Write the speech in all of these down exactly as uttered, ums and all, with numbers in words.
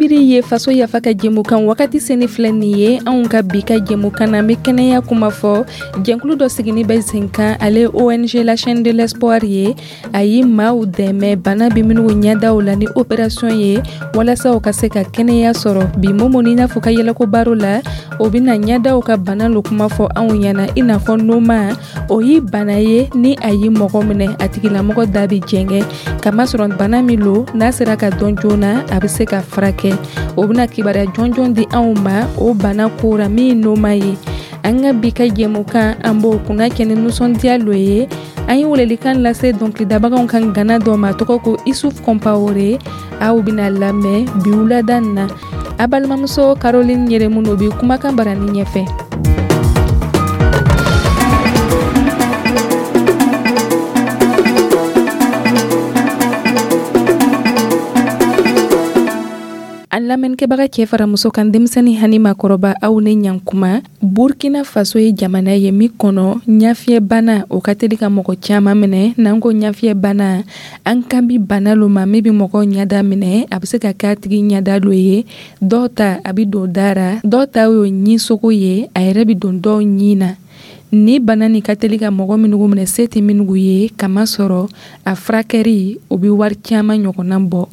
Misiri ye Faso Yafa ka jɛmukan wagati seni filɛ nin ye. Anw ka bi ka jɛmukan na, an bɛ kɛnɛya kuma fɔ. Jɛnkulu dɔ sigini bɛ sen kan, ale O N G La Chaîne de l'Espoir ye. A ye maaw dɛmɛ bana bɛ minnu ɲɛdaw la ni opération ye, walasa u ka se ka kɛnɛya sɔrɔ. Bi, Momo ni n'a fɔ ka yɛlɛko baro la, o bɛna ɲɛdaw ka bana lo kuma fɔ anw ɲɛna, i n'a fɔ noma. O ye bana ye ni a ye mɔgɔ minɛ, a tigilamɔgɔ da bɛ jɛngɛ, kamasɔrɔ bana min lo, n'a sera ka dɔn joona, a bɛ se ka furakɛ. O bɛna kibaruya jɔnjɔn di anw ma o bana kora min ye noma ye. An ka bi ka jɛmukan, an b'o kunna kɛ ni nisɔndiya lo ye. An ye welelikan lase dɔnkilidabagaw kan gana dɔ ma, tɔgɔ ko Isuf Kɔnpawore. Aw bɛna lamɛn bi wulada nin na. A balimamuso Caroline Yɛrɛmuno bɛ kumakan barani ɲɛfɛ. An lamɛnnikɛbaga cɛ fara muso kan, denmisɛnnin hani makɔrɔba, aw ni ɲankuma. Burkina Faso ye jamana ye min kɔnɔ ɲafiyɛbana o ka teli ka mɔgɔ caman minɛ. N'an ko ɲafiyɛbana, an kan bi bana lo ma min bɛ mɔgɔ ɲada minɛ. A bɛ se ka k'a tigi ɲada lo ye, dɔw ta a bɛ don da ra, dɔw ta y'o ɲinsogo ye, a yɛrɛ bɛ don dɔw ɲin na. Ni bana nin ka teli ka mɔgɔ minnu minɛ, se tɛ minnu ye, kamasɔrɔ a furakɛri o bɛ wari caman ɲɔgɔnna bɔ.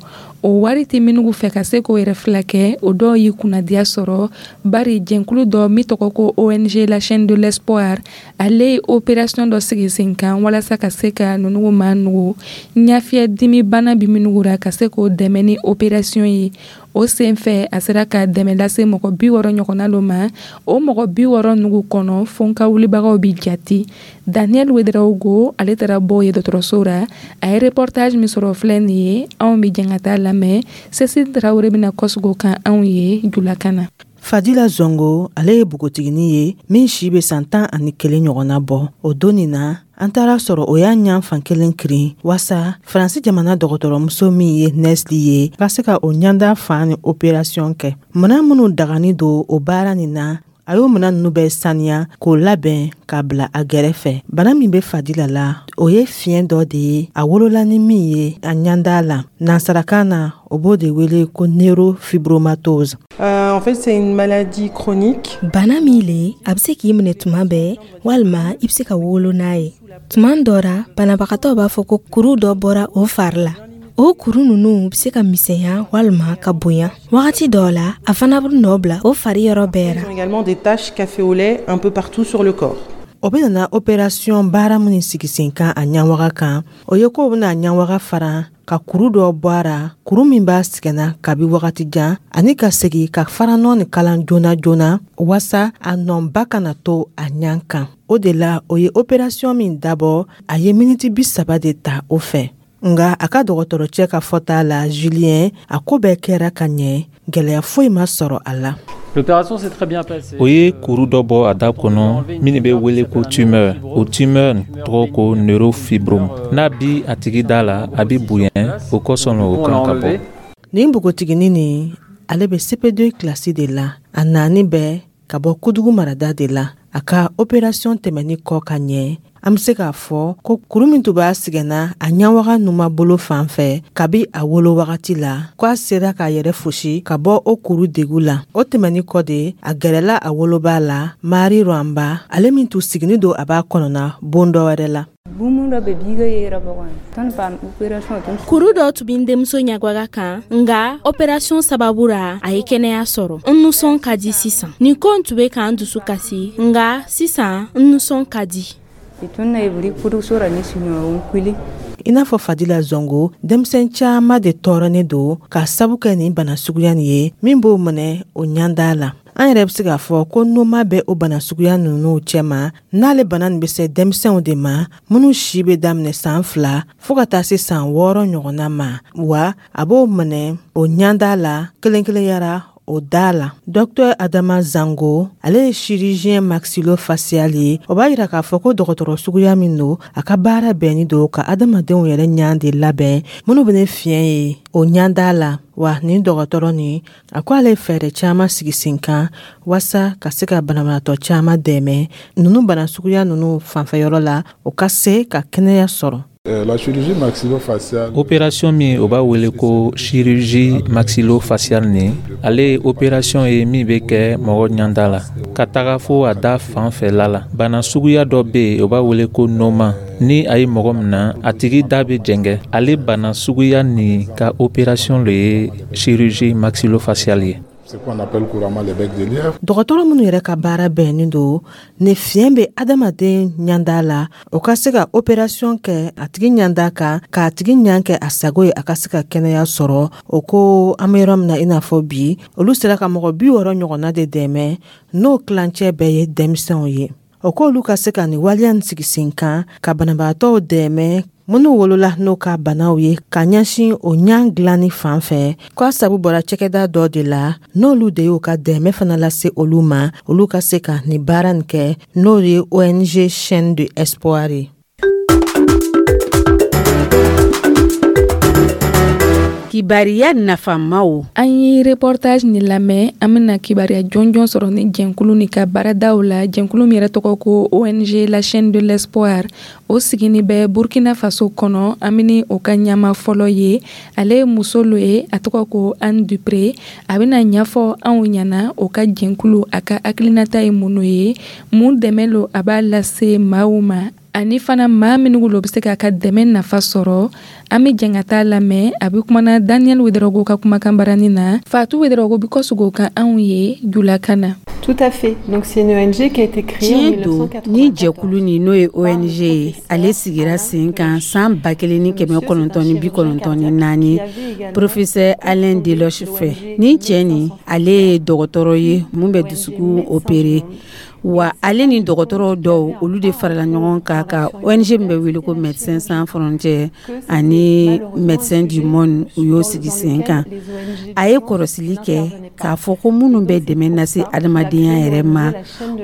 O wari tɛ minnu fɛ ka se k'o yɛrɛ filakɛ. O dɔw y'i kunnadiya sɔrɔ, bari jɛnkulu dɔ min tɔgɔ ko O N G La Chaîne de l'Espoir, ale ye opération dɔ sigi sen kan walasa ka se ka ninnu maa nugu ɲafiyɛ dimi bana bɛ minnu ra, ka se k'o dɛmɛ ni opération ye. O sen fɛ, a sera ka dɛmɛ lase mɔgɔ bi wɔɔrɔ ɲɔgɔnna lo ma. O mɔgɔ bi wɔɔrɔ nugu kɔnɔ, fo ka wulibagaw bi jati. Daniel Wedraogo, ale taara bɔ ye dɔgɔtɔrɔso ra. A ye reportage min sɔrɔ filɛ nin ye, anw bɛ jɛn ka taa lamɛn. Cécile Tarawele bɛna kɔsegin o kan anw ye julakan na. Fadila Zongo, ale ye npogotiginin ye min si bɛ san tan ani kelen ɲɔgɔnna bɔ. O don nin na, an taara sɔrɔ o y'a ɲan fan kelen kirin, waasa Faransi jamana dɔgɔtɔrɔmuso min ye Nesli ye ka se ka o ɲanda fan ni operasiyɔn kɛ. Minan minnu dagani don o baara nin na, a y'o minan nunu bɛɛ saniya k'o labɛn k'a bila a gɛrɛfɛ. Bana min bɛ Fadila la, o ye fiɲɛ dɔ de ye a wolola ni min ye a ɲanda la. Nansarakan na, o b'o de wele ko neurofibromatose. Euh, en fait, c'est une maladie chronique. Bana min le, a bɛ se k'i minɛ tuma bɛɛ, walima i bɛ se ka wolo n'a ye. Tuma dɔ ra, banabagatɔ b'a fɔ ko kuru dɔ bɔra o fari la. O kuru ninnu bɛ se ka misɛnya walima ka bonya. Wagati dɔw la, a fana bɛ nɔ bila o fari yɔrɔ bɛɛ ra. Ils ont également des taches café au lait un peu partout sur le corps. O bɛ nana operasiyɔn baara minnu sigi sen kan a ɲawaga kan, o ye k'o bɛna ɲawaga fara ka kuru dɔ bɔ a ra, kuru min b'a sɛgɛnna kabi wagati jan, ani ka segi ka faranɔ ni kalan joona joona, waasa a nɔba kana to a ɲan kan. O de la, o ye operasiyɔn min dabɔ, a ye miniti bi saba de ta o fɛ. Nga a ka dɔgɔtɔrɔcɛ ka fɔta la, Julien, a ko bɛɛ kɛra ka ɲɛ, gwɛlɛya foyi ma sɔrɔ a la. O ye kuru dɔ bɔ a da kɔnɔ min bɛ wele ko tumeur. O tumeur tɔgɔ ko neurofibrome. N'a bi a tigi da la, a bi bonya, o kosɔn o kan ka bɔ. Nin npogotiginin nin, ale bɛ C P deux kilasi de la. A naani bɛɛ ka bɔ Kudugu marada de la. A ka operasiyɔn tɛmɛni kɔ ka ɲɛ, an be se k'a fɔ ko kuru min tun b'a sɛgɛnna a ɲawaga numa bolo fan fɛ kabi a wolo wagati la, ko a sera k'a yɛrɛ fosi ka bɔ o kuru degu la. O tɛmɛni kɔ de, a gɛrɛla a woloba la, Mari Rwamba, ale min tun sigini don a b'a kɔnɔna bon dɔ wɛrɛ la. Kuru dɔ tun bɛ n denmuso ɲagwaga kan, nga operasiyɔn sababu ra, a ye kɛnɛya sɔrɔ. N nusɔn ka di sisan. Nin ko tun bɛ k'an dusu kasi, nga sisan n nusɔn ka di. I n'a fɔ Fadila Zongo, denmisɛn caaman de tɔɔrɔnen don k'a sabu kɛ nin bana suguya nin ye min b'o minɛ o ɲanda la. An yɛrɛ bɛ se k'a fɔ ko noma bɛ o bana suguya ninnu cɛma, n'ale bana nin bɛ se denmisɛnw de ma minnu si bɛ daminɛ san fila fɔɔ ka taa se san wɔɔrɔ ɲɔgɔnna ma, wa a b'o minɛ o ɲanda la kelen kelenyara o da la. Dɔktɛr Adama Zango, ale ye chirurgien maxillofacial ye. O b'a yira k'a fɔ ko dɔgɔtɔrɔ suguya min don, a ka baara bɛnni don ka adamadenw yɛrɛ ɲan de labɛn minnu bɛ ne fiɲɛ ye o ɲanda la. Wa nin dɔgɔtɔrɔ nin, a ko ale ye fɛɛrɛ caaman sigi sen kan waasa ka se ka banabaatɔ caaman dɛmɛ ninnu bana suguya ninnu fanfɛyɔrɔ la, o ka se ka kɛnɛya sɔrɔ. La chirurgie maxillofaciale. Opération min o b'a wele ko chirurgie maxillofaciale nin, ale ye opération ye min bɛ kɛ mɔgɔ ɲanda la ka taga fo a da fan fɛla la. Bana suguya dɔ bɛ yen, o b'a wele ko noma. Ni a ye mɔgɔ min na, a tigi da bɛ jɛngɛ. Ale bana suguya nin ka opération le ye chirurgie maxillofaciale ye. C'est qu'on appelle couramment les becs de lièvre. Dɔgɔtɔrɔ minnu yɛrɛ ka baara bɛnnen don ni fiɲɛ bɛ adamaden ɲanda la, o ka se ka opération kɛ a tigi ɲanda kan, k'a tigi ɲan kɛ a sago ye, a ka se ka kɛnɛya sɔrɔ. O ko an bɛ yɔrɔ min na i n'a fɔ bi, olu sera ka mɔgɔ bi wɔɔrɔ ɲɔgɔnna de dɛmɛ, n'o tilancɛ bɛɛ ye denmisɛnw ye. O k'olu ka se ka nin waleya nin sigi sen kan ka banabaatɔw dɛmɛ minnu wolola n'o ka banaw ye, ka ɲɛsin o ɲan dilanni fan fɛ, k'a sabu bɔra cakɛda dɔ de la, n'olu de y'o ka dɛmɛ fana lase olu ma, olu ka se ka nin baara nin kɛ, n'o ye O N G Chaîne de Espoir ye. Kibariya nafamaw. An ye reportage nin lamɛn. An bɛna kibariya jɔnjɔn sɔrɔ ni jɛnkulu ni ka baaradaw la. Jɛnkulu min yɛrɛ tɔgɔ ko O N G La Chaîne de l'Espoir, o sigini bɛ Burkina Faso kɔnɔ. An bɛ o ka ɲama fɔlɔ ye, ale ye muso lo ye, a tɔgɔ ko Anne Dupré. A bɛna ɲɛfɔ anw ɲɛna o ka jɛnkulu a ka hakilinata ye mun ye, mun dɛmɛ lo a b'a lase maaw ma, ani fana maa minnu lo bɛ se k'a ka dɛmɛ nafa sɔrɔ. An bɛ jɛn ka taa lamɛn. A bɛ kumana Daniel Ouédraogo ka kumakan barani na. Fatou Ouédraogo bɛ kɔsegin o kan anw ye julakan na. Tout à fait. Donc c'est une O N G qui a été créée en Tiɲɛ don, ni jɛkulu nin, n'o ye O N G ye, ale sigira sen kan san ba kelen ni kɛmɛ kɔnɔntɔn ni bi kɔnɔntɔn ni naani, professeur Alain Deloche fɛ. Ni cɛ nin, ale ye dɔgɔtɔrɔ ye mun bɛ dusukun opéré. Wa ale ni dɔgɔtɔrɔw dɔw, olu de farala ɲɔgɔn kan ka O N G min bɛ wele ko Médecins Sans Frontières ani Médecins du Monde, u y'o sigi sen kan. A ye kɔrɔsili kɛ k'a fɔ ko minnu bɛ dɛmɛ lase adamadenya yɛrɛ ma,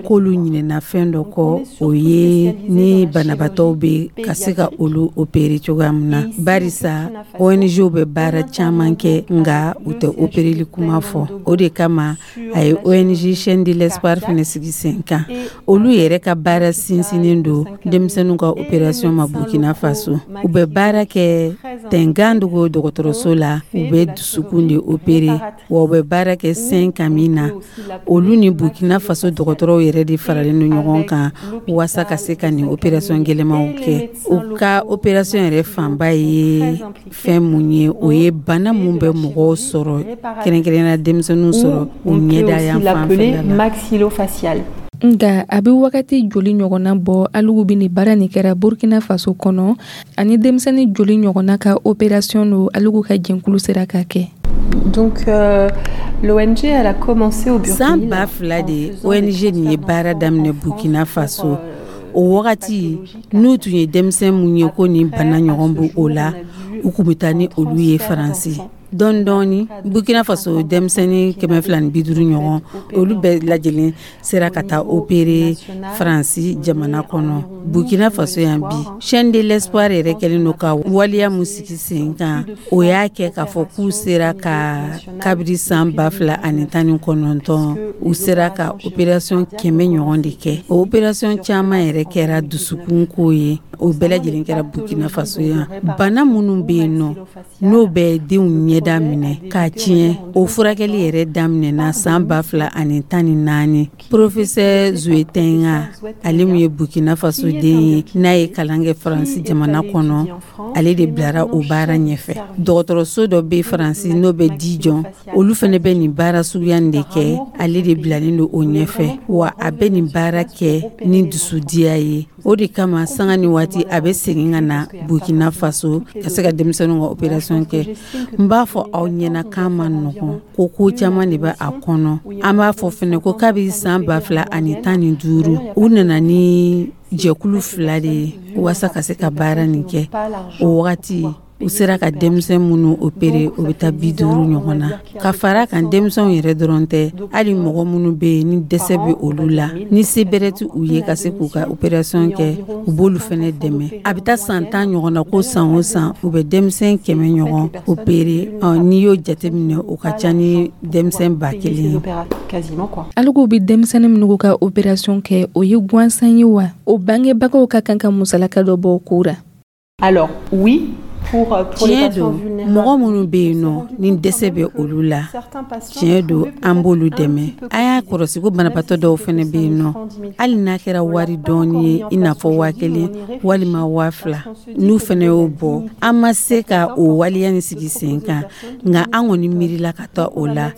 k'olu ɲinɛna fɛn dɔ kɔ, o ye ni banabaatɔw bɛ ka se ka olu opérer cogoya min na, barisa O N G bɛ baara caman kɛ, nka u tɛ opéreli kuma fɔ. O de kama a ye O N G Chaîne de l'Espoir fana sigi sen kan. Olu yɛrɛ ka baara sinsinnen don denmisɛnninw ka opération ma Burkina Faso. U bɛ baara kɛ Tengandogo dɔgɔtɔrɔso la, u bɛ dusukun de opérer, wa u bɛ baara kɛ Saint Camille na. Olu ni Burkina Faso dɔgɔtɔrɔw yɛrɛ de faralen don ɲɔgɔn kan walasa ka se ka nin opération gɛlɛnmanw kɛ. U ka opération yɛrɛ fanba ye fɛn mun ye? O ye bana mun bɛ mɔgɔw sɔrɔ, kɛrɛnkɛrɛnnenya denmisɛnninw sɔrɔ u ɲɛda yan fan fɛla la. Maxillofaciale. Nka a bɛ wagati joli ɲɔgɔnna bɔ alugu bɛ nin baara nin kɛra Burkina Faso kɔnɔ, ani denmisɛnnin joli ɲɔgɔnna ka opération don alugu ka jɛnkulu sera ka kɛ? Donc euh, l'O N G, elle a commencé au Burkina. San ba fila de O N G nin ye baara daminɛ Burkina Faso. O wagati, n'u tun ye denmisɛn mun ye ko nin bana ɲɔgɔn b'o o la, u kun bɛ taa ni olu ye Faransi. Dɔɔni dɔɔni, Burkina Faso denmisɛnnin kɛmɛ fila ni bi duuru ɲɔgɔn, olu bɛɛ lajɛlen sera ka taa opérer Faransi jamana kɔnɔ. Burkina Faso yan bi, Chaîne de l'Espoir yɛrɛ kɛlen don ka waleya mun sigi sen kan, o y'a kɛ k'a fɔ k'u sera ka, kabiri san ba fila ani tan ni kɔnɔntɔn, u sera ka opération kɛmɛ ɲɔgɔn de kɛ. O opération caman yɛrɛ kɛra dusukun ko ye. O bɛɛ lajɛlen kɛra Burkina Faso yan. Bana minnu bɛ yen nɔ, n'o bɛ denw ɲɛda minɛ k'a tiɲɛ, o furakɛli yɛrɛ daminɛna san ba fila ani tan ni naani. Professeur Zuetenga, ale min ye Burkina Faso den ye, n'a ye kalan kɛ Faransi jamana kɔnɔ, ale de bilara o baara ɲɛfɛ. Dɔgɔtɔrɔso dɔ bɛ Faransi, n'o bɛ Dijon, olu fana bɛ nin baara suguya nin de kɛ. Ale de bilalen don o ɲɛfɛ, wa a bɛ nin baara kɛ ni dusudiya ye. O de kama, sanga ni waati, a bɛ segin ka na Burkina Faso ka se ka denmisɛnninw ka opération kɛ. N b'a fɔ aw ɲɛna k'a ma nɔgɔn, ko ko caman de bɛ a kɔnɔ. An b'a fɔ fɛnɛ ko kabi san ba fila ani tan ni duuru, u nana ni jɛkulu fila de ye walasa ka se ka baara nin kɛ. O wagati, u sera ka denmisɛn minnu opéré, o bɛ taa bi duuru ɲɔgɔn na. Ka fara kan, denmisɛnw yɛrɛ dɔrɔn tɛ, hali mɔgɔ minnu bɛ yen ni dɛsɛ bɛ olu la, ni se bɛrɛ tɛ u ye ka se k'u ka opération kɛ, u b'olu fɛnɛ dɛmɛ. A bɛ taa san tan ɲɔgɔn na ko san o san, u bɛ denmisɛn kɛmɛ ɲɔgɔn opéré. N'i y'o jateminɛ, o ka ca ni denmisɛn ba kelen ye. Alugu bɛ denmisɛnnin minnu ka opération kɛ, o ye gansan ye wa? O bangebagaw ka kan ka musalaka dɔ bɔ o ko ra? Alors oui, Tiɲɛ don, mɔgɔ minnu bɛ yen nɔ ni dɛsɛ bɛ olu la, tiɲɛ don, an b'olu dɛmɛ. An y'a kɔlɔsi ko banabaatɔ dɔw fana bɛ yen nɔ, hali n'a kɛra wari dɔɔni ye, i n'a fɔ waa kelen walima waa fila, n'u fana y'o bɔ. An ma se ka o waleya nin sigi sen kan, nka an kɔni miirila ka taa o la,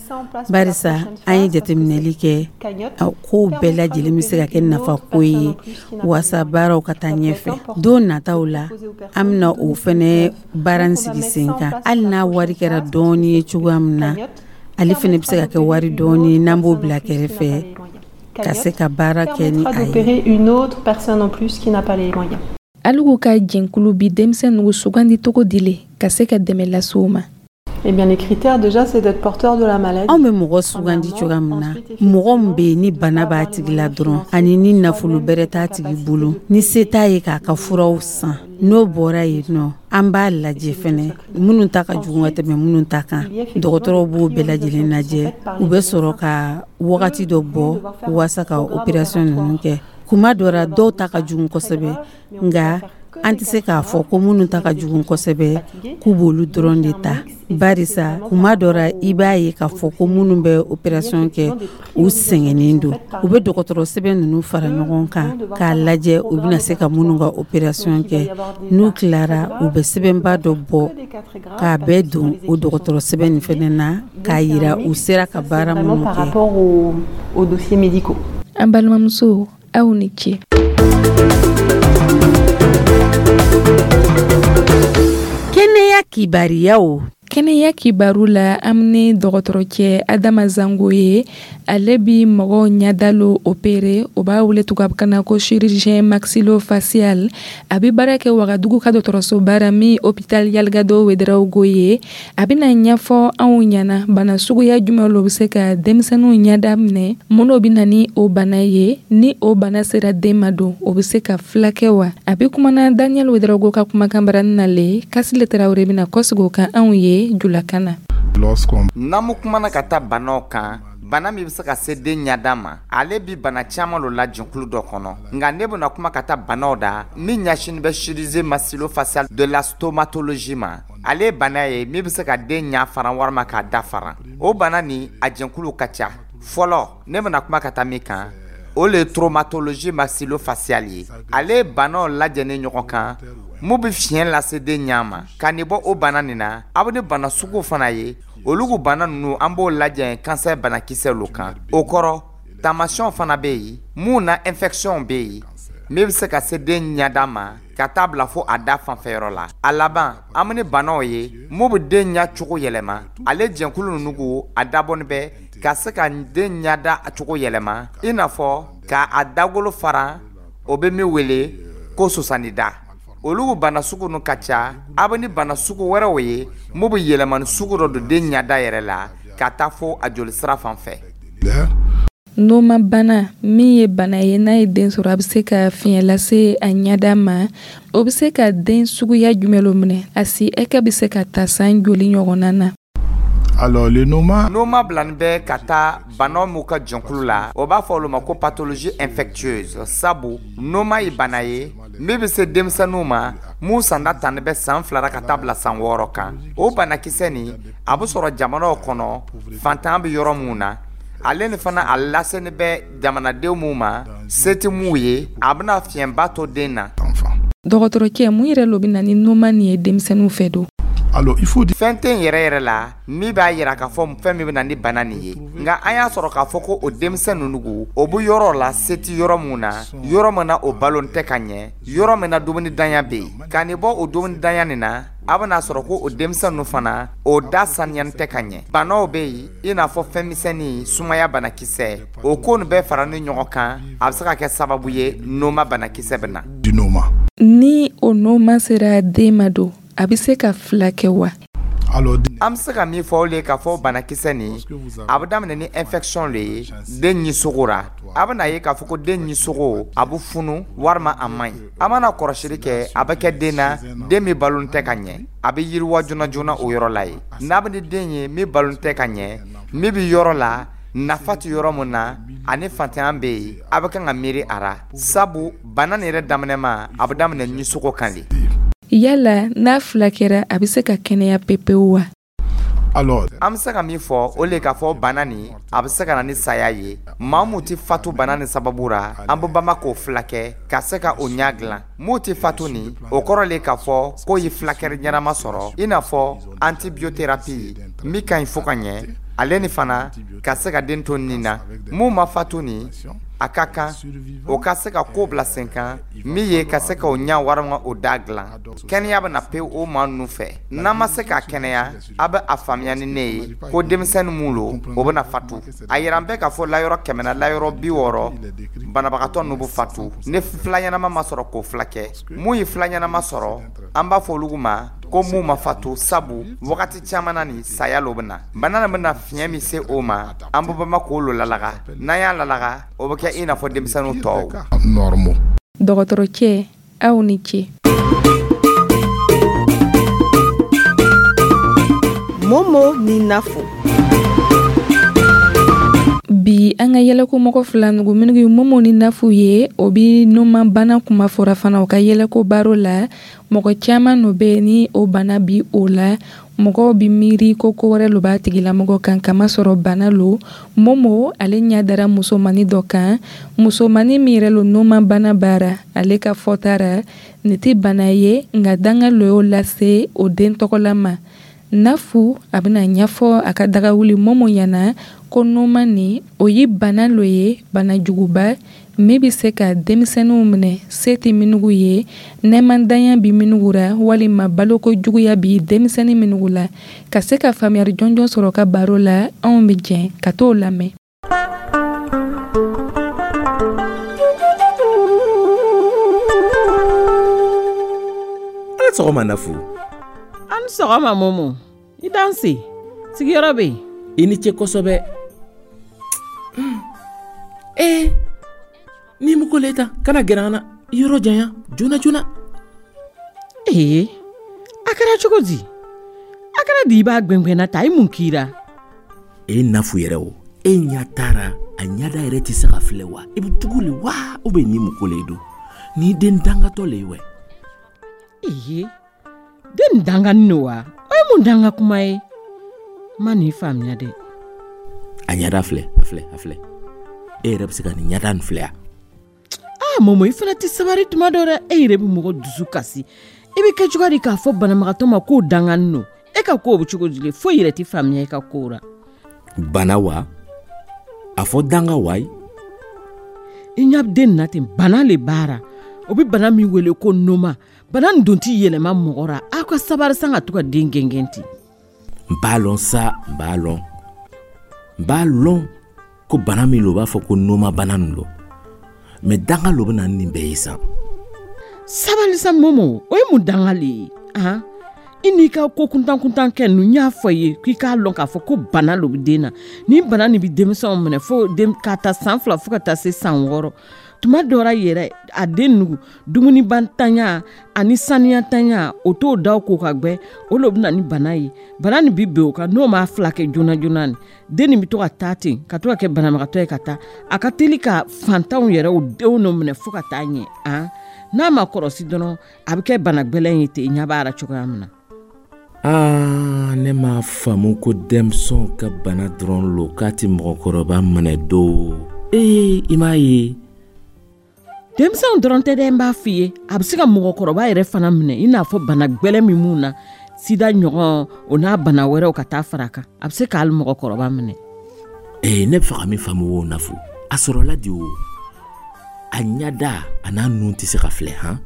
barisa an ye jateminɛli kɛ kow bɛɛ lajɛlen bɛ se ka kɛ nafako ye waasa baaraw ka taa ɲɛfɛ. Don nataw la, an bɛna o fana baara in sigi sen kan, hali n'a wari kɛra dɔɔni ye cogoya min na, ale fana bɛ se ka kɛ wari dɔɔni n'an b'o bila kɛrɛfɛ ka se ka baara kɛ ni a ye. Une autre personne en plus qui n'a pas les moyens. Alugu ka jɛnkulu bi denmisɛnninw sugandi cogo di le ka se ka dɛmɛ lase u ma? Eh bien, les critères, déjà, c'est d'être porteur de la maladie. Anw bɛ mɔgɔ sugandi cogoya min na, mɔgɔ min bɛ yen ni bana b'a tigi la dɔrɔn, ani ni nafolo bɛrɛ t'a tigi bolo, ni se t'a ye k'a ka furaw san. N'o bɔra yen nɔ, an b'a lajɛ fɛnɛ minnu ta ka jugu ka tɛmɛ minnu ta kan. Dɔgɔtɔrɔw b'o bɛɛ lajɛlen lajɛ, u bɛ sɔrɔ ka wagati dɔ bɔ waasa ka opération ninnu kɛ. Kuma dɔ la, dɔw ta ka jugu kosɛbɛ, nka an tɛ se k'a fɔ ko minnu ta ka jugu kosɛbɛ k'u b'olu dɔrɔn de ta, barisa kuma dɔ la, i b'a ye k'a fɔ ko minnu bɛ opération kɛ, u sɛgɛnnen don. U bɛ dɔgɔtɔrɔ sɛbɛn ninnu fara ɲɔgɔn kan k'a lajɛ u bɛna se ka minnu ka opération kɛ. N'u tilara, u bɛ sɛbɛnba dɔ bɔ k'a bɛɛ don o dɔgɔtɔrɔ sɛbɛn nin fana na k'a yira u sera ka baara minnu Par kɛ. rapport aux, aux dossiers médicaux. An balimamuso, aw ni ce. Kɛnɛya kibariyaw. Kɛnɛya kibaru la, an ni dɔgɔtɔrɔcɛ Adama Zango ye. Ale bi mɔgɔw ɲɛdalo opéré, o b'a wele tubabukan na ko chirurgien maxillofacial. A bi baara kɛ Wagadugu ka dɔgɔtɔrɔso baara min hôpital Yalgado Ouédraogo ye. A bɛna ɲɛfɔ anw ɲɛna bana suguya jumɛn lo bɛ se ka denmisɛnninw ɲɛda minɛ, mun bɛ na ni o bana ye, ni o bana sera den ma don, o bɛ se ka filakɛ wa. A bɛ kumana Daniel Ouédraogo ka kumakan barani na le. Kasile Tarawele bɛna kɔsigi o kan anw ye julakan na. Lorsqu'on N'an mu kumana ka taa banaw kan, bana min bɛ se ka se den ɲada ma, ale bi bana caman lo la jɛnkulu dɔ kɔnɔ. Nka ne bɛna kuma ka taa banaw da min ɲɛsinin bɛ chirurgie maxillofaciale de la stomatologie ma. Ale ye bana ye min bɛ se ka den ɲa faran walima k'a da faran. O bana nin, a jɛnkulu ka ca. Fɔlɔ, ne bɛna kuma ka taa min kan, o le ye traumatologie maxillofaciale ye. Ale ye banaw lajɛlen ɲɔgɔn kan mun bɛ fiɲɛ lase den ɲa ma. Ka nin bɔ o bana nin na, a bɛ ni bana sugu fana ye. Olu ko bana ninnu, an b'o lajɛ cancer banakisɛ lo kan. O kɔrɔ, taamasiyɛnw fana bɛ yen mun na infection bɛ yen min bɛ se ka se den ɲɛda ma ka taa bila fo a da fanfɛyɔrɔ la. A laban, an bɛ ni banaw ye mun bɛ den ɲɛ cogo yɛlɛma. Ale jɛnkulu ninnu ko a dabɔnin bɛ ka se ka den ɲɛda cogo yɛlɛma, i n'a fɔ ka a dagolo fara, o bɛ min wele ko sosanida. Olu bana sugu ninnu ka ca. A bɛ ni bana sugu wɛrɛw ye mun bɛ yɛlɛmani sugu dɔ don den ɲɛda yɛrɛ la ka taa fo a jolisira fan fɛ. Noma bana min ye bana ye, n'a ye den sɔrɔ, a bɛ se ka fiɲɛ lase a ɲɛda ma. O bɛ se ka den suguya jumɛn lo minɛ? A si hakɛ bɛ se ka ta san joli ɲɔgɔnna na? Alors, le noma, Noma bilani bɛ ka taa banaw m'u ka jɛnkulu la, o b'a fɔ olu ma ko pathologie infectieuse, sabu noma ye bana ye min bɛ se denmisɛnninw ma mun sanda tani bɛ san fila ka taa bila san wɔɔrɔ kan. O banakisɛ nin, a bɛ sɔrɔ jamanaw kɔnɔ fantan bɛ yɔrɔ mun na. Ale ni fana, a laseni bɛ jamanadenw mun ma se tɛ mun ye, a bɛna fiɲɛba to den na. Dɔgɔtɔrɔcɛ, mun yɛrɛ lo bɛ na ni noma nin ye denmisɛnninw fɛ don? Alors, il faut dire Fɛn tɛ yen yɛrɛ yɛrɛ la min b'a yira k'a fɔ fɛn min bɛ na ni bana nin ye. Nka an y'a sɔrɔ k'a fɔ ko o denmisɛn ninnu ko o bɛ yɔrɔ la se tɛ yɔrɔ mun na, yɔrɔ min na o balo tɛ ka ɲɛ, yɔrɔ min na dumuni danya bɛ yen. Ka nin bɔ o dumuni danya nin na, a bɛna sɔrɔ ko o denmisɛn ninnu fana, o da saniyani tɛ ka ɲɛ. Banaw bɛ yen, i n'a fɔ fɛn misɛnnin, sumaya banakisɛ, o ko nin bɛɛ fara ni ɲɔgɔn kan, a bɛ se ka kɛ sababu ye noma banakisɛ bɛ na. Du noma. Ni o noma sera den ma don, a bɛ se ka fila kɛ wa? Alors, An bɛ se ka min fɔ, o le ye k'a fɔ banakisɛ nin, a bɛ daminɛ ni infection le ye den ɲisogo ra. A bɛna ye k'a fɔ ko den ɲisogo, a bɛ funu walima a man ɲi. A mana kɔlɔsili kɛ, a bɛ kɛ den na, den min balo tɛ ka ɲɛ, a bɛ yiriwa joona joona o yɔrɔ la yen. N'a bɛ ni den ye min balo tɛ ka ɲɛ, min bɛ yɔrɔ la nafa tɛ yɔrɔ min na, ani fantanya bɛ yen, a bɛ kan ka miiri a ra, sabu bana nin yɛrɛ daminɛ ma, a bɛ daminɛ ɲisogo kan de. Yala n'a filakɛra, a bɛ se ka kɛnɛya pepewu wa? Alors, An bɛ se ka min fɔ, o le k'a fɔ bana nin, a bɛ se ka na ni saya ye. Maa mun tɛ fatu bana ni sababu ra, an bɛ banba k'o filakɛ ka se ka o ɲa dilan. Mun tɛ fatu nin, o kɔrɔ le k'a fɔ k'o ye filakɛli ɲɛnama sɔrɔ, i n'a fɔ antibiothérapie min ka ɲi fo ka ɲɛ, ale ni fana ka se ka den to nin na. Mun ma fatu nin, a ka kan o ka se ka ko bila sen kan min ye ka se ka o ɲa walima o da dilan. Kɛnɛya bɛna pewu o maa ninnu fɛ. N'an ma se k'a kɛnɛya, a bɛ a faamuya ni ne ye ko denmisɛnnin mun lo, o bɛna fatu. A yira an bɛɛ k'a fɔ layɔrɔ kɛmɛ na, layɔrɔ bi wɔɔrɔ, banabagatɔ ninnu bɛ fatu ni fila ɲɛnama ma sɔrɔ k'o filakɛ. Mun ye fila ɲɛnama sɔrɔ, an b'a fɔ olu ma ko mun ma fatu, sabu wagati caman na nin saya lo bɛ na. Bana nin bɛna fiɲɛ min se o ma, an bɛ banba k'o lo lalaga. N'an y'a lalaga, o bɛ kɛ i n'a fɔ denmisɛnninw tɔw. Normaux. Dɔgɔtɔrɔcɛ, aw ni ce. Momo ni Nafo. Bi an ka yɛlɛko mɔgɔ fila nugu minnu ye Momo ni Nafu ye, o bi numan bana kuma fɔra fana o ka yɛlɛko baro la. Mɔgɔ caman no bɛ ni o bana bi o la, mɔgɔw bi miiri ko ko wɛrɛ lo b'a tigilamɔgɔ kan, kamasɔrɔ bana lo. Momo ale ɲɛ dara musomani dɔ kan, musomani min yɛrɛ lo numan bana baara. Ale ka fɔta ra, nin tɛ bana ye, nka danga lo y'o lase o den tɔgɔla ma. Nafu a bɛna ɲɛfɔ a ka dagawuli Momo ɲɛna ko numan nin, o ye bana lo ye, bana juguba min bɛ se ka denmisɛnninw minɛ se tɛ minugu ye, nɛmandanya bɛ minugu ra, walima baloko juguya bi denmisɛnnin minugu la. Ka se ka faamuyali jɔnjɔn sɔrɔ ka baro la, anw bɛ jɛn ka t'o lamɛn. Ala sɔgɔma, Nafu. An sɔgɔma, Momo. I danse, sigiyɔrɔ bɛ yen. I ni ce kosɛbɛ. Ee, ni muko le ta, kana gɛrɛ an na, i yɔrɔ janya joona joona. Ee, a kɛra cogo di? A kɛra di i b'a gwɛngwɛnna ta? I mun k'i ra? E Nafu yɛrɛ, o e ɲa taara a ɲada yɛrɛ tɛ se ka filɛ wa? I bɛ tugu le wa, ou bien ni muko le don ni den dangatɔ le ye wɛ? Ee, den danganin no wa? O ye mun danga kuma ye? N ma nin faamuya dɛ. A ɲada filɛ, a filɛ, a filɛ. E yɛrɛ bɛ se ka nin ɲada nin filɛ ya? Aa Momo, i fana tɛ sabari tuma dɔ dɛ. E yɛrɛ bɛ mɔgɔ dusu kasi. I bɛ kɛ cogoya di k'a fɔ banabagatɔ ma k'o danganin no? E ka kow bɛ cogo di le? Foyi yɛrɛ tɛ faamuya i ka kow la. Bana wa, a fɔ danga wa ye. I ɲɛ den na ten, bana le b'a ra. O bɛ bana min wele ko noma. Bana nin don tɛ yɛlɛma mɔgɔ ra. Aw ka sabari san ka to ka den gɛngɛn ten. N b'a lɔn sa, n b'a lɔn, n b'a lɔn ko bana min lo, u b'a fɔ ko noma bana nin lo, mɛ danga lo bɛ na ni nin bɛɛ ye sa. Sabali sa Momo, o ye mun danga le ye? Han, i n'i ka ko kuntan kuntan kɛ ninnu, n y'a fɔ i ye k'i k'a lɔn k'a fɔ ko bana lo bɛ den na. Nin bana nin bɛ denmisɛnw minɛ fo den k'a ta san fila fo ka taa se san wɔɔrɔ. Tuma dɔ la yɛrɛ, a den nugu dumunibantanya ani saniyatanya, o t'o daw ko ka gbɛ, o lo bɛ na ni bana ye. Bana nin bi ben o kan, n'o m'a filakɛ joona joona nin, den nin bɛ to ka taa ten, ka to ka kɛ banabagatɔ ye ka taa. A ka teli ka fantanw yɛrɛ o denw n'o minɛ fo ka taa ɲɛ. Han, n'a ma kɔrɔsi dɔrɔn, a bɛ kɛ bana gwɛlɛn ye ten, i ɲɛ b'a la cogoya min na. Aa, ne m'a faamu ko denmisɛnw ka bana dɔrɔn lo, k'a tɛ mɔgɔkɔrɔba minɛ do. Ee, i m'a ye. Denmisɛnw dɔrɔn tɛ dɛ, n b'a f'i ye, a bɛ se ka mɔgɔkɔrɔba yɛrɛ fana minɛ, i n'a fɔ bana gwɛlɛn min mun na, sida ɲɔgɔn, o n'a bana wɛrɛw ka taa fara a kan. A bɛ se k'ale mɔgɔkɔrɔba minɛ. Ee, ne bɛ fɛ ka min faamu o, Nafu, a sɔrɔla di o? A ɲada a n'a nun tɛ se ka filɛ han.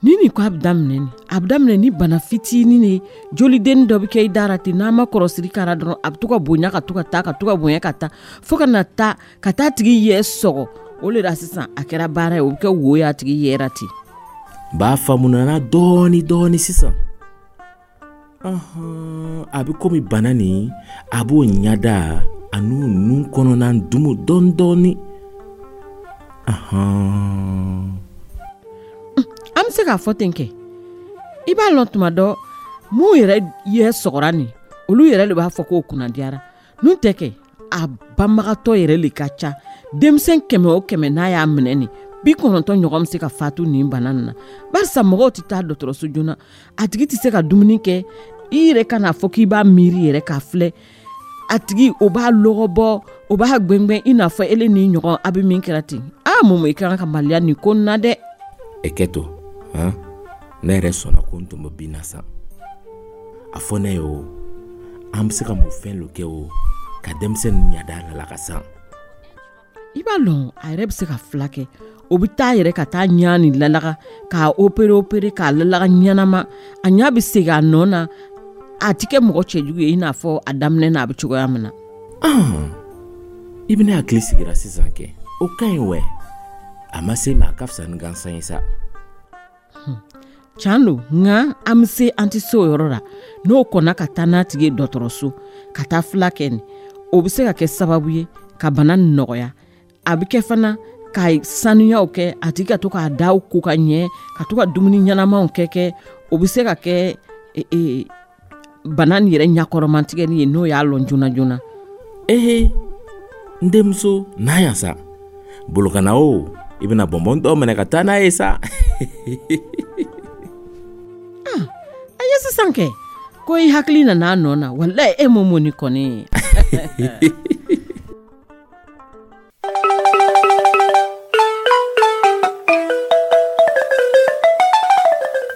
Ni nin ko a bɛ daminɛ nin, a bɛ daminɛ ni bana fitinin ye, jolidenni dɔ bɛ kɛ i da la ten. N'a ma kɔrɔsiri kɛra dɔrɔn, a bɛ to ka bonya ka to ka taa, ka to ka bonya ka taa, fo ka na taa ka taa tigi yɛ sɔgɔ. O le la sisan a kɛra baara ye, o bɛ kɛ wo ye a tigi yɛrɛ ten. N b'a faamu nana dɔɔni dɔɔni sisan. Ɔhɔn, a bɛ komi bana nin a b'o ɲada a n'u nun kɔnɔna dumu dɔɔni dɔɔni. Ɔhɔn. An bɛ se k'a fɔ ten kɛ. I b'a lɔn, tuma dɔ mun yɛrɛ yɛ sɔgɔra nin, olu yɛrɛ de b'a fɔ k'o kunnadiyara. N'u tɛ kɛ, a banbagatɔ yɛrɛ le ka ca. Denmisɛn kɛmɛ o kɛmɛ n'a y'a minɛ nin, Bi kɔnɔntɔn ɲɔgɔn bɛ se ka fatu nin bana nin na, barisa mɔgɔw tɛ taa dɔgɔtɔrɔso joona, a tigi tɛ se ka dumuni kɛ. I yɛrɛ ka n'a fɔ k'i b'a miiri yɛrɛ k'a filɛ, a tigi o b'a lɔgɔ bɔ, o b'a gwɛngwɛn i n'a fɔ ele ni ɲɔgɔn a bɛ min kɛra ten. Aa Momo, i ka kan ka maloya nin ko na dɛ. E kɛ to han, ne yɛrɛ sɔnna ko n tun bɛ bin na sa. A fɔ ne ye o, an bɛ se ka mun fɛn lo kɛ o ka denmisɛnnin ɲada la ka san? I b'a lɔn, a yɛrɛ bɛ se ka fila kɛ. O bɛ taa yɛrɛ ka taa ɲa nin lalaga, k'a opere opere k'a lalaga ɲɛnama, a ɲa bɛ segin a nɔ na. A ti kɛ mɔgɔ cɛjugu ye i n'a fɔ a daminɛ na a bɛ cogoya min na. I bɛna hakili sigira sisan kɛ, o ka ɲi wɛ. A ma se ma, a ka fisa ni gansan ye sa. Can don, nka an bɛ se, an tɛ se o yɔrɔ la. N'o kɔnna ka taa n'a tigi ye dɔgɔtɔrɔso ka taa fila kɛ nin, o bɛ se ka kɛ sababu ye ka bana nin nɔgɔya. A bɛ kɛ fana ka sanuyaw kɛ, a tigi ka to k'a daw ko ka ɲɛ, ka to ka dumuni ɲɛnamaw kɛ kɛ o bɛ se ka kɛ e, e, bana nin yɛrɛ ɲakɔrɔmatigɛli ye, n'o y'a lɔn joona joona. Ehe, n denmuso n'a yan sa, bolokana o, i bɛna bɔnbɔn dɔ minɛ ka taa n'a ye sa. Ah, a ye sisan kɛ ko i hakili nana a nɔ na, walayi e Momo ni kɔni.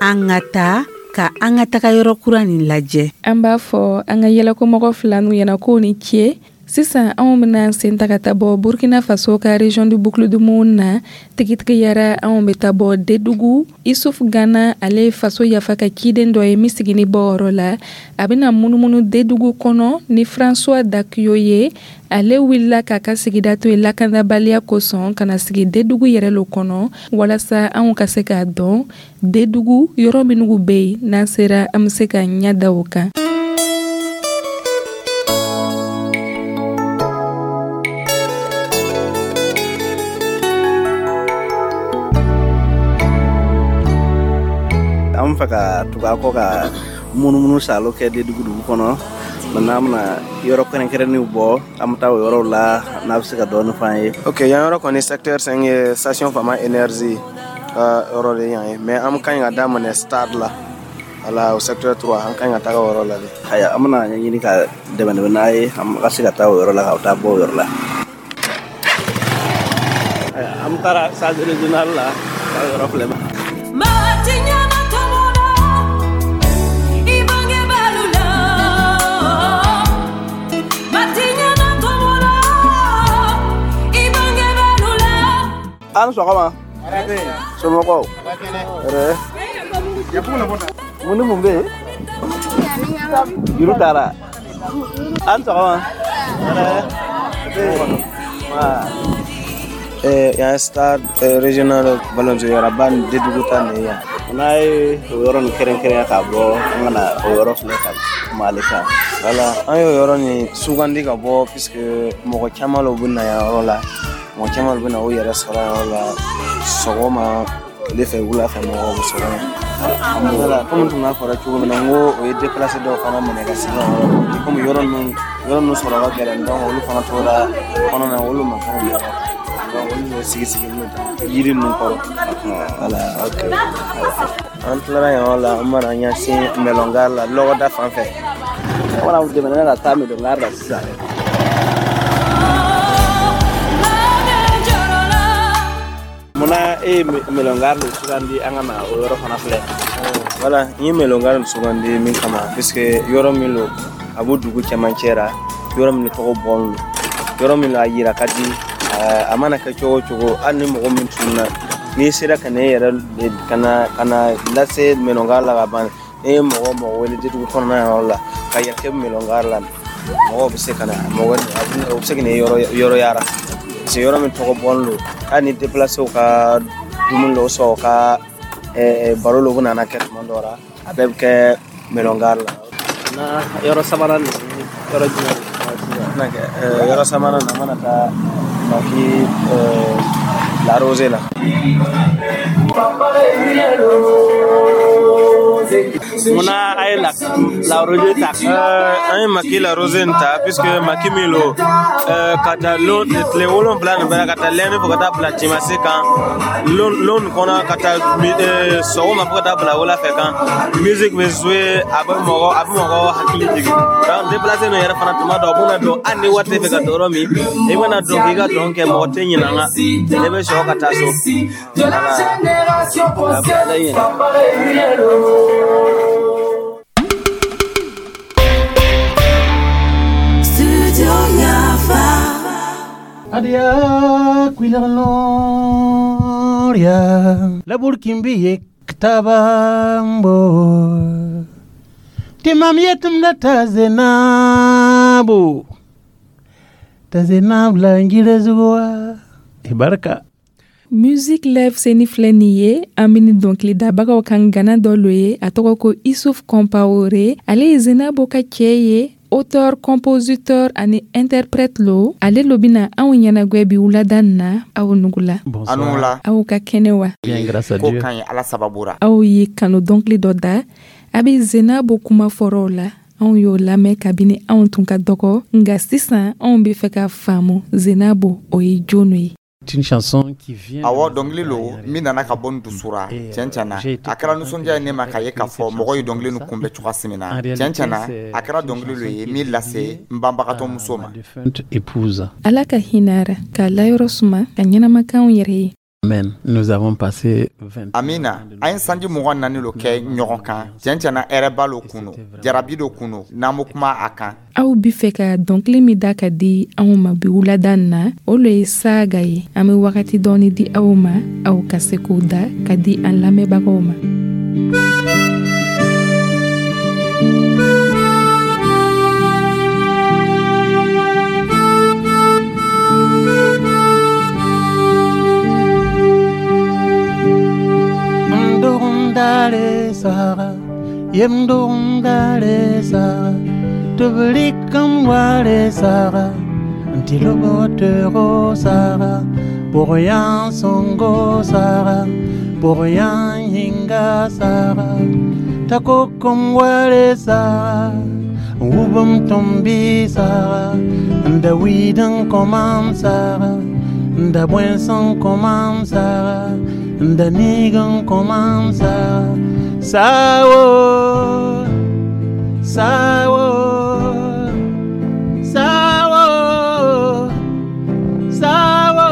An ka taa ka an ka taga yɔrɔ kura nin lajɛ. An b'a fɔ an ka yɛlɛkomɔgɔ fila n'u ɲɛna k'o ni ce. Sisan anw bɛna sen ta ka taa bɔ Burkina Faso ka région du Boucle du Mouhoun na. Tigitigiyara anw bɛ taa bɔ Dedugu. Isuf Gana, ale ye faso yafa ka ciden dɔ ye min sigini bɔ yɔrɔ la. A bɛna munumunu Dedugu kɔnɔ ni François Dakuyo ye. Ale wulila k'a ka sigida to yen lakanabaliya kosɔn ka na sigi Dedugu yɛrɛ lo kɔnɔ, walasa anw ka se k'a dɔn Dedugu yɔrɔ minnu bɛ yen, n'an sera an bɛ se ka ɲɛ da o kan. An bɛ fɛ ka tugu a kɔ ka munumunu salo kɛ Dedugu dugu kɔnɔ. Maintenant an bɛna yɔrɔ kɛrɛnkɛrɛnnenw bɔ, an bɛ taa o yɔrɔw la, n'a bɛ se ka dɔɔnin f'an ye. Ok, yan yɔrɔ kɔni secteur cinq ye station Fama énergie ka yɔrɔ de yan ye, mais an ka ɲi ka daminɛ stade la. Voilà, au secteur trois, an ka ɲi ka taga o yɔrɔ la de. Ayiwa, an bɛna ɲɛɲini ka dɛmɛ dɛmɛ n'a ye, an ka se ka taa o yɔrɔ la, ka taa bɔ o yɔrɔ la. Ayiwa, an taara stade régional la, ka yɔrɔ filɛ. An sɔgɔma. Somɔgɔw? Hɛrɛ. Mun ni mun bɛ yen? Juru taara. An sɔgɔma. Hɛrɛ. Yan stade régional balontan ni Dedugu ta nin ye yan. N'a ye o yɔrɔ nin kɛrɛnkɛrɛnya k'a bɔ, an ka na o yɔrɔ filɛ ka kuma ale kan. Voilà, an y'o yɔrɔ nin sugandi ka bɔ puisque mɔgɔ caman lo bɛ na yan yɔrɔ la. Mɔgɔ caman bɛ na o yɛrɛ sɔrɔ yan yɔrɔ la sɔgɔma, tile fɛ, wula fɛ, mɔgɔw bɛ sɔrɔ yan. Voilà, komi tun b'a fɔra cogo min na, n ko o ye déplacé dɔw fana minɛ ka sigi yan yɔrɔ la. Komi yɔrɔ ninnu yɔrɔ ninnu sɔrɔ ka gɛlɛn, donc olu fana tora kɔnɔ na, olu ma fɛnw bila. Donc olu de sigi sigilen don yiri ninnu kɔrɔ. Voilà, ok. An tilara yan yɔrɔ la, an mana ɲɛsin Mɛlɔngari la, lɔgɔda fan fɛ. An bɛna dɛmɛ ka taa Mɛlɔngari la sisan. Munna e ye Mɛlɔngari de sugandi an ka na o yɔrɔ fana filɛ? Voilà, n ye Mɛlɔngari sugandi min kama, puisque yɔrɔ min don, a b'o dugu cɛmancɛ la, yɔrɔ min tɔgɔ bɔn don, yɔrɔ min a yira ka di, a mana kɛ cogo o cogo, hali ni mɔgɔ min tununna, n'i sera ka na e yɛrɛ ka na ka na lase Mɛlɔngari la ka ban, n'i ye mɔgɔ mɔgɔ wele Dedugu kɔnɔna yɔrɔ la ka yɛrɛ kɛ Mɛlɔngari la, mɔgɔw bɛ se ka na, mɔgɔ o bɛ se ka na yɔrɔ yɔrɔ yara. Parce que yɔrɔ min tɔgɔ bɔn don, hali ni déplacé ka dumuni dɔw sɔrɔ, ka baro dɔw bɛ nana kɛ tuma dɔw la, a bɛɛ bɛ kɛ Mɛlɔngari la. Na yɔrɔ sabanan nin yɔrɔ jumɛn? Yɔrɔ sabanan na, an mana taa Maki La Rose la. Munna a ye la la rosée ta? An ye maquis la rosée nin ta puisque maquis min lo, ka taa lon tile wolonfila nin bɛɛ, ka taa lundi fo ka taa bila dimanche kan, lon lon kɔnɔ, ka taa sɔgɔma fo ka taa bila wula fɛ kan, musique bɛ jouer, a bɛ mɔgɔ a bɛ mɔgɔ hakili jigin. Donc déplacé nin yɛrɛ fana, tuma dɔ u bɛna don, hali ni wari tɛ fɛ ka don yɔrɔ min, i bɛna don k'i ka dɔn kɛ, mɔgɔ tɛ ɲinɛ an kan, ne bɛ sɔrɔ ka taa so. De la génération consciente, papa réveillé. Studio Yafa. Adia kuilanoria la burkimbi ktabambo timam yetum la tazenabu tazenab la ngirezuwa ibarka. Musique Live seni filɛ nin ye, an bɛ ni dɔnkilidabagaw kan gana dɔ lo ye, a tɔgɔ ko Issouf Compaoré. Ale ye Zenabo ka cɛ ye, auteur, compositeur ani interprète lo. Ale lo bɛna anw ɲɛnagwɛ bi wulada nin na. Aw nugula. Anugula. Aw ka kɛnɛ wa? Bien, grâce à Ko Dieu. ka ɲi, Ala sababu ra. Aw ye kanu dɔnkili dɔ da, a bɛ Zenabo kuma fɔrɔw la. Anw y'o lamɛn kabini anw tun ka dɔgɔ, nka sisan anw bɛ fɛ ka faamu Zenabo o ye jɔn ye. C'est une chanson qui vient. Awɔ, dɔnkili lo min nana ka bɔ n dusura tiɲɛ tiɲɛ na. A kɛra nisɔndiya ye ne ma k'a ye k'a fɔ mɔgɔ ye dɔnkili nin kunbɛn cogoya min na. Tiɲɛ tiɲɛ na, a kɛra dɔnkili lo ye min lase n banbagatɔ muso ma. Épouse. Ala ka hinɛ ra, k'a layɔrɔ suma, ka ɲɛnamakanw yɛrɛ ye. Amen. Nous avons passé vingt Amina. An ye sanji mugan naani lo kɛ ɲɔgɔn kan. Tiɲɛ tiɲɛ na, hɛrɛba lo kun no, jarabi do kun no n'an bɛ kuma a kan. Aw bi fɛ ka dɔnkili min da ka di anw ma bi wulada nin na, o lo ye Saga ye. An bɛ wagati dɔɔni di aw ma, aw ka se k'o da ka di an lamɛnbagaw ma. Ndongdare sara, yem ndongdare sara, tublikam ware sara, ntilobotero sara, borian songo sara, borian hinga sara, takokom ware sara, wubum tombi sara, ndawiden komam sara, ndabwenson komam sara, ndanigan komam sara, sawo, sawo, sawo, sawo,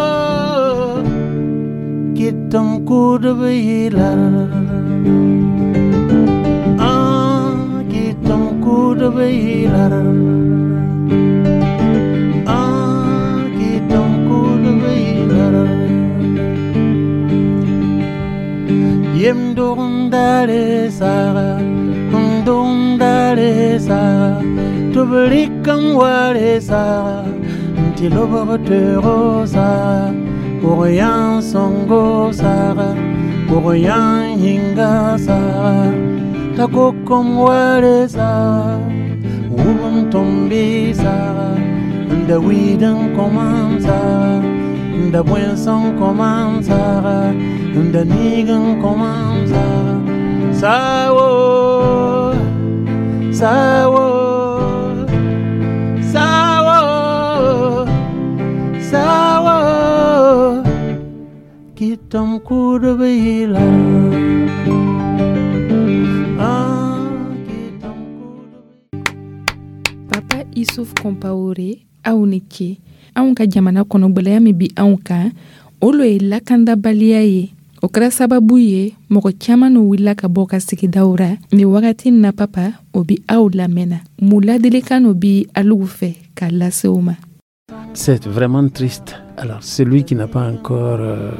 kitam kudubila, ah, kitam kudubila, ah, kitam kudubila. Yem dongdare sara, dongdare sara, tublikam ware sara, ntilobotero sara, borian songo sara, borian hinga sara, takokom ware sara, wubum tombi sara, ndawiden komam sara, ndabwenson komam sara, ndanigan komam sara, sawo, sawo, sawo, sawo, kitam kudubila. Ah, Papa Issouf Compaoré, aw ni ce. Anw ka jamana kɔnɔ, gwɛlɛya min bi anw kan, o lo ye lakandabaliya ye. O kɛra sababu ye mɔgɔ caaman n'o wulila ka bɔ ka sigidaw ra nin wagati na. Papa, o bi aw lamɛnna, mun ladilikan no bi alugu fɛ k'a lase o ma? C'est vraiment triste. Alors, celui qui n'a pas encore euh,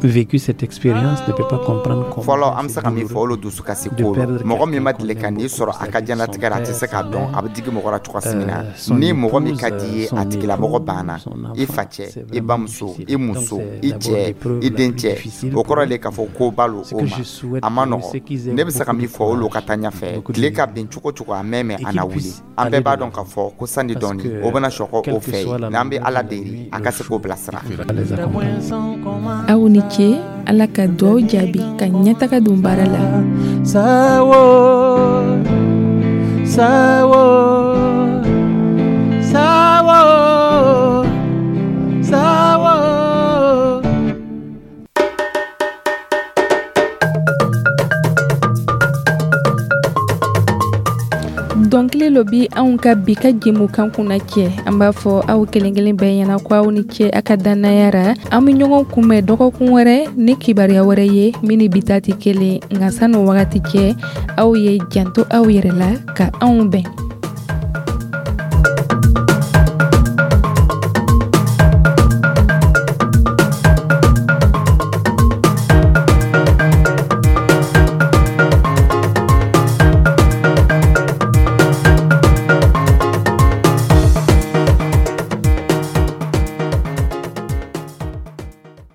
vécu cette expérience ne peut pas comprendre comment. Fɔlɔ, an bɛ se ka min fɔ, o lo dusukasi ko de lo. Perdre Mɔgɔ min ma deli ka nin sɔrɔ a ka diɲɛlatigɛ la, a tɛ se k'a dɔn a bɛ digi mɔgɔ la cogoya min na. Ni mɔgɔ min ka di i ye, a tigilamɔgɔ banna, i facɛ, i bamuso, i muso, i cɛ, i dencɛ, o kɔrɔ le k'a fɔ ko ba lo o ma, a ma nɔgɔ. Ne bɛ se ka min fɔ, o lo ka taa ɲɛfɛ. Tile ka bin cogo cogo, a mɛn mɛn a na wuli. An bɛɛ b'a dɔn k'a fɔ ko sani dɔɔni o bɛna sɔkɔ o fɛ yen. N'an bɛ Ala deli, a ka se k'o bilasira. Aw ni ce. Ala ka duwaw jaabi ka ɲɛtaga don baara la. Sawo, sawo, sawo, sawo. Dɔnkili lo bi anw ka bi ka jɛmukan kunna cɛ. An b'a fɔ aw kelen kelen bɛɛ ɲɛna ko aw ni ce a ka dannaya ra. An bɛ ɲɔgɔn kunbɛn dɔgɔkun wɛrɛ ni kibaruya wɛrɛ ye min ni bi ta tɛ kelen. Nka san'o wagati cɛ, aw ye janto aw yɛrɛ la ka anw bɛn.